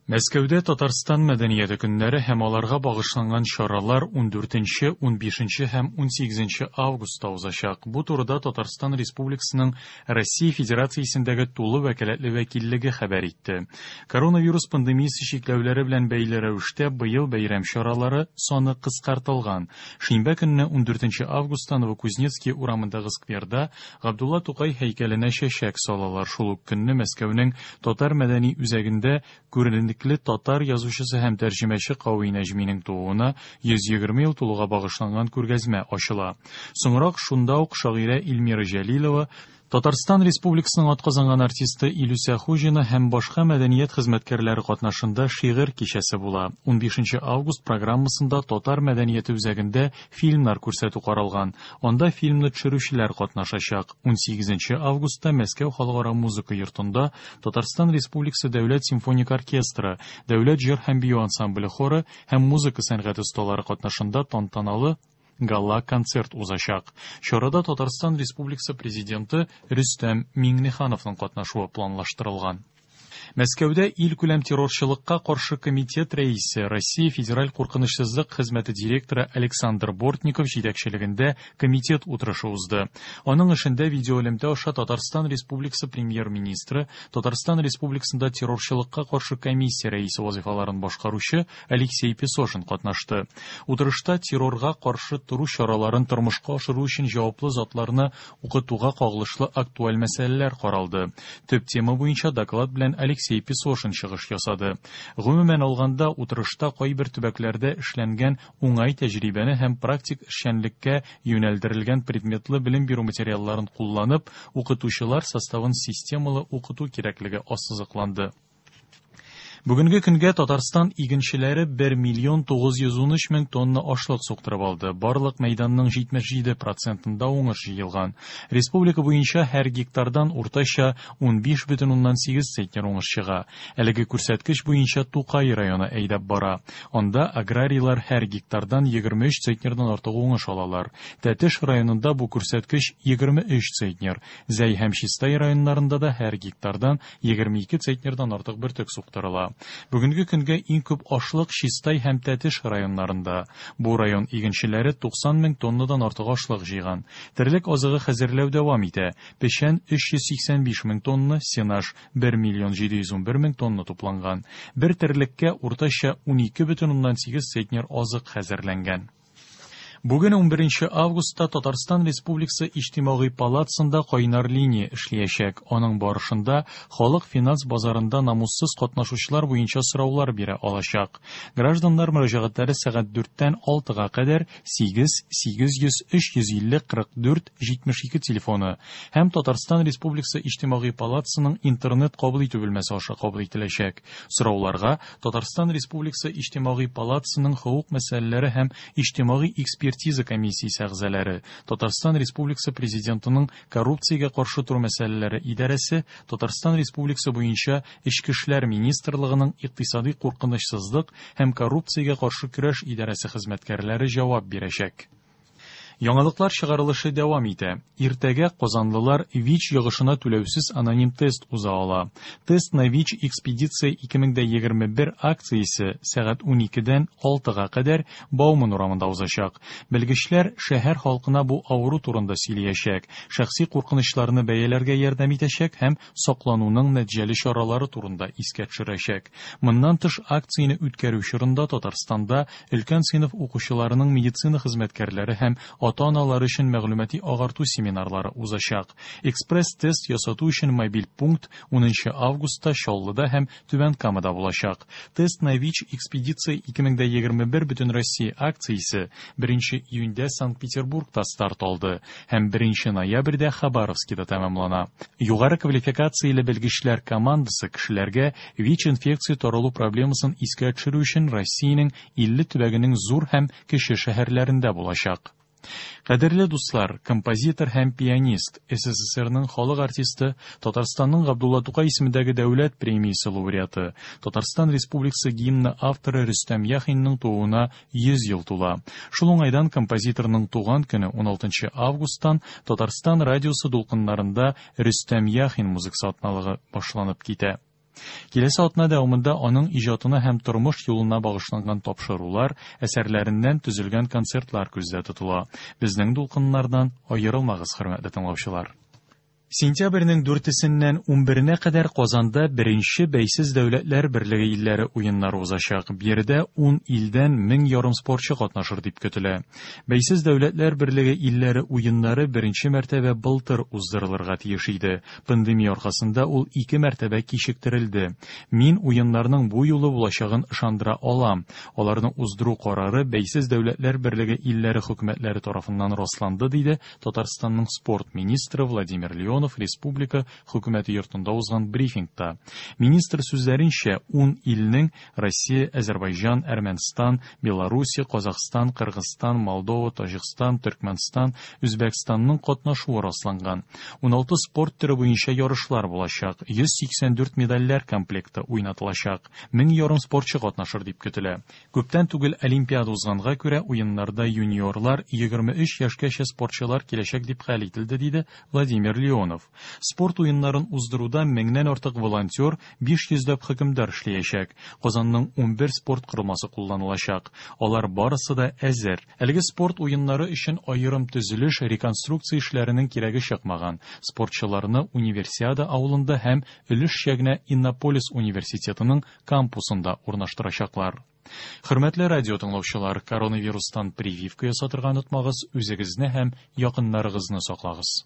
Мәскәүдә Татарстан мәдәнияте көннәре һәм аларга багышланган чаралар 14, 15 һәм 18 августта узачак. Бу турыда Татарстан Республикасының Россия Федерациясендәге тулы вәкаләтле вәкиллеге хәбәр итте. Коронавирус пандемиясе чикләүләре белән бәйле рәвештә быел бәйрәм чаралары саны кыскартылган. Шимбә көнне 14 августта Новокузнецкий урамындагы скверда Габдулла Тукай һәйкәленә чәчәк салалар. Шул ук көнне Мәскәүнең Татар мәдәни үзәгендә күренекле татар язучысы һәм тәрҗемәче Кави Нәҗминең тууына 120 ел тулуга багышланган күргәзмә ачыла. Соңрак шунда ук шагыйрә Эльмира Җәлилова, Татарстан Республикасының атказанган артисты Илүсә Хуҗина һәм башка мәдәният хезмәткәрләре катнашында шигырь кичәсе була. 15 август программасында Татар мәдәнияте үзәгендә фильмнар күрсәтү каралган. Анда фильмны төшерүчеләр катнашачак. 18 августта Мәскәү халыкара музыка йортында Татарстан Республикасы Дәүләт симфоник оркестры, Дәүләт җыр һәм бию ансамбле хоры һәм музыка сәнгате осталары катнашында тантаналы гала-концерт узачак. Чарада Татарстан Республикасы Президенты Рөстәм Миңнехановның катнашуы планлаштырылган. Мәскәүдә илкүләм террорчылыкка каршы комитет рәисе, Россия Федераль куркынычсызлык хезмәте директоры Александр Бортников җитәкчелегендә комитет утырышы узды. Аның эшендә видеоэлемтә аша Татарстан Республикасы премьер-министры, Татарстан Республикасында террорчылыкка каршы комиссия рәисе вазифаларын башкаручы Алексей Песошин катнашты. Утырышта террорга каршы тору чараларын тормышка ашыру өчен җаваплы затларны укытуга кагылышлы актуаль мәсьәләләр каралды. Төп тема буенча доклад белән Алексей Песошин чыгыш ясады. Гомумән алганда, утырышта кайбер төбәкләрдә эшләнгән уңай тәҗрибәне һәм практик эшчәнлеккә юнәлдерелгән предметлы белем бирү материалларын кулланып, укытучылар составын системалы укыту кирәклеге ассызыкланды. Бүгенге көнгә Татарстан игенчеләре 1 миллион 913 мең тонна ашлык суктырып алды. Барлык мәйданның 77 процентында уңыш җыелган. Республика буенча һәр гектардан уртача 15,8 центнер уңыш чыга. Әлеге күрсәткеч буенча Тукай районы әйдәп бара. Анда аграрийлар һәр гектардан 23 центнердан артык уңыш алалар. Тәтеш районында бу күрсәткеч 23 центнер. Зәй һәм Чистай районнарында да һәр гектардан 22 центнердан артык бөртек суктырыла. Бүгенге көнгә иң күп ашлык Чистай һәм Тәтеш районнарында. Бу район игенчеләре 90 мең тоннадан артык ашлык җыйган. Терлек азыгы хәзерләү дәвам итә. Печән 385 мең тонна, сенаж 1 миллион 711 мең тонна тупланган. Бер терлеккә уртача 12,8 центнер азык хәзерләнгән. Бүген 11 августта Татарстан Республикасы Иҗтимагый палатасында кайнар линия эшләячәк. Аның барышында халык финанс базарында намуссыз катнашучылар буенча сораулар бирә алачак. Гражданнар мөрәҗәгатьләре сәгать 4-тән 6-га кадәр 8 800 350 44 72 телефоны һәм Татарстан Республикасы Иҗтимагый палатасының интернет кабул итү бүлмәсе аша кабул ителәчәк. Сорауларга Татарстан Республикасы Иҗтимагый палатасының хокук мәсьәләләре һәм иҗтимагый экспертиза комиссиясе әгъзалары, Татарстан Республикасы Президентының коррупциягә каршы тору мәсьәләләре идарәсе, Татарстан Республикасы буенча Эчке эшләр министрлыгының икътисади куркынычсызлык һәм коррупциягә каршы көрәш идарәсе хезмәткәрләре җавап бирәчәк. Яңалыклар чыгарылышы дәвам итә. Иртәгә казанлылар ВИЧ йогышына түләүсез аноним тест уза ала. Тест на ВИЧ экспедиция 2021 акциясе сәгать 12-дән 6-га кадәр Бауман урамында узачак. Белгечләр шәһәр халкына бу авыру турында сөйләячәк, шәхси куркынычларны бәяләргә ярдәм итәчәк һәм саклануның нәтиҗәле чаралары турында искә төшерәчәк. Моннан тыш акцияне үткәрү чорында Татарстанда өлкән сыйныф укучыларының медицина хезмәткәрләре һәм ата-аналары өчен мәгълүмати агарту семинарлары узачак. Экспресс-тест ясату өчен мобиль пункт 10 августта Чаллыда һәм Түбән Камада булачак. Тест на ВИЧ экспедиция 2021 Бөтенроссия акциясе 1 июньдә Санкт-Петербургта старт алды һәм 1 ноябрьдә Хабаровскида тәмамлана. Югары квалификацияле белгечләр командасы кешеләргә ВИЧ-инфекция таралу проблемасын искә төшерү өчен Россиянең 50 төбәгенең зур һәм кече шәһәрләрендә булачак. Кадерле дуслар, композитор һәм пианист, СССРның халык артисты, Татарстанның Габдулла Тукай исемендәге дәүләт премиясе лауреаты, Татарстан Республикасы гимны авторы Рөстәм Яхинның тууына 100 ел тула. Шул уңайдан композиторның туган көне 16 августтан Татарстан радиосы дулкыннарында Рөстәм Яхин музыкасы атналыгы башланып китә. Киләсе атна дәвамында аның иҗатына һәм тормыш юлына багышланган тапшырулар, әсәрләреннән төзелгән концертлар күздә тотыла. Безнең дулкыннардан аерылмагыз, хөрмәтле тыңлаучылар. Сентябрьнең дүртесеннән унберенә кадәр Казанда беренче Бәйсез Дәүләтләр Берлеге илләре уеннары узачак. Биредә ун илдән 1500 спортчы катнашыр дип көтелә. Бәйсез Дәүләтләр Берлеге илләре уеннары беренче мәртәбә былтыр уздырылырга тиеш иде. Пандемия аркасында ул ике мәртәбә кичектерелде. Мин уеннарның бу юлы булачагын ышандыра алам. Аларны уздыру карары Бәйсез Дәүләтләр Берлеге илләре хөкүмәтләре тарафыннан расланды, диде Татарстанның спорт министры Владимир Леонов республика хөкүмәте йортында узган брифингта. Министр сүзләренчә, ун илнең Россия, Әзербайҗан, Әрмәнстан, Белоруссия, Казахстан, Кыргызстан, Молдова, Таҗикстан, Төркмәнстан, Үзбәкстанның катнашуы расланган. 16 спорт төре буенча ярышлар булачак, 184 медальләр комплекты уйнатылачак. 1500 спортчы катнашыр дип көтелә. Күптән түгел Олимпиада узганга күрә, уеннарда юниорлар, 23 яшькәчә спортчылар киләчәк дип хәл ителде, диде Владимир Леонов. Спорт уеннарын уздыруда меңнән артык волонтер, 500 ләп хөкемдар эшләячәк. Казанның 11 спорт корылмасы кулланылачак. Алар барысы да әзер. Әлеге спорт уеннары өчен аерым төзелеш, реконструкция эшләренең кирәге чыкмаган. Спортчыларны Универсиада авылында һәм өлешчә генә Иннополис университетының кампусында урнаштырачаклар. Хөрмәтле радио тыңлаучылар, коронавирустан прививка ясатырга онытмагыз, үзегезне һәм якыннарыгызны саклагыз.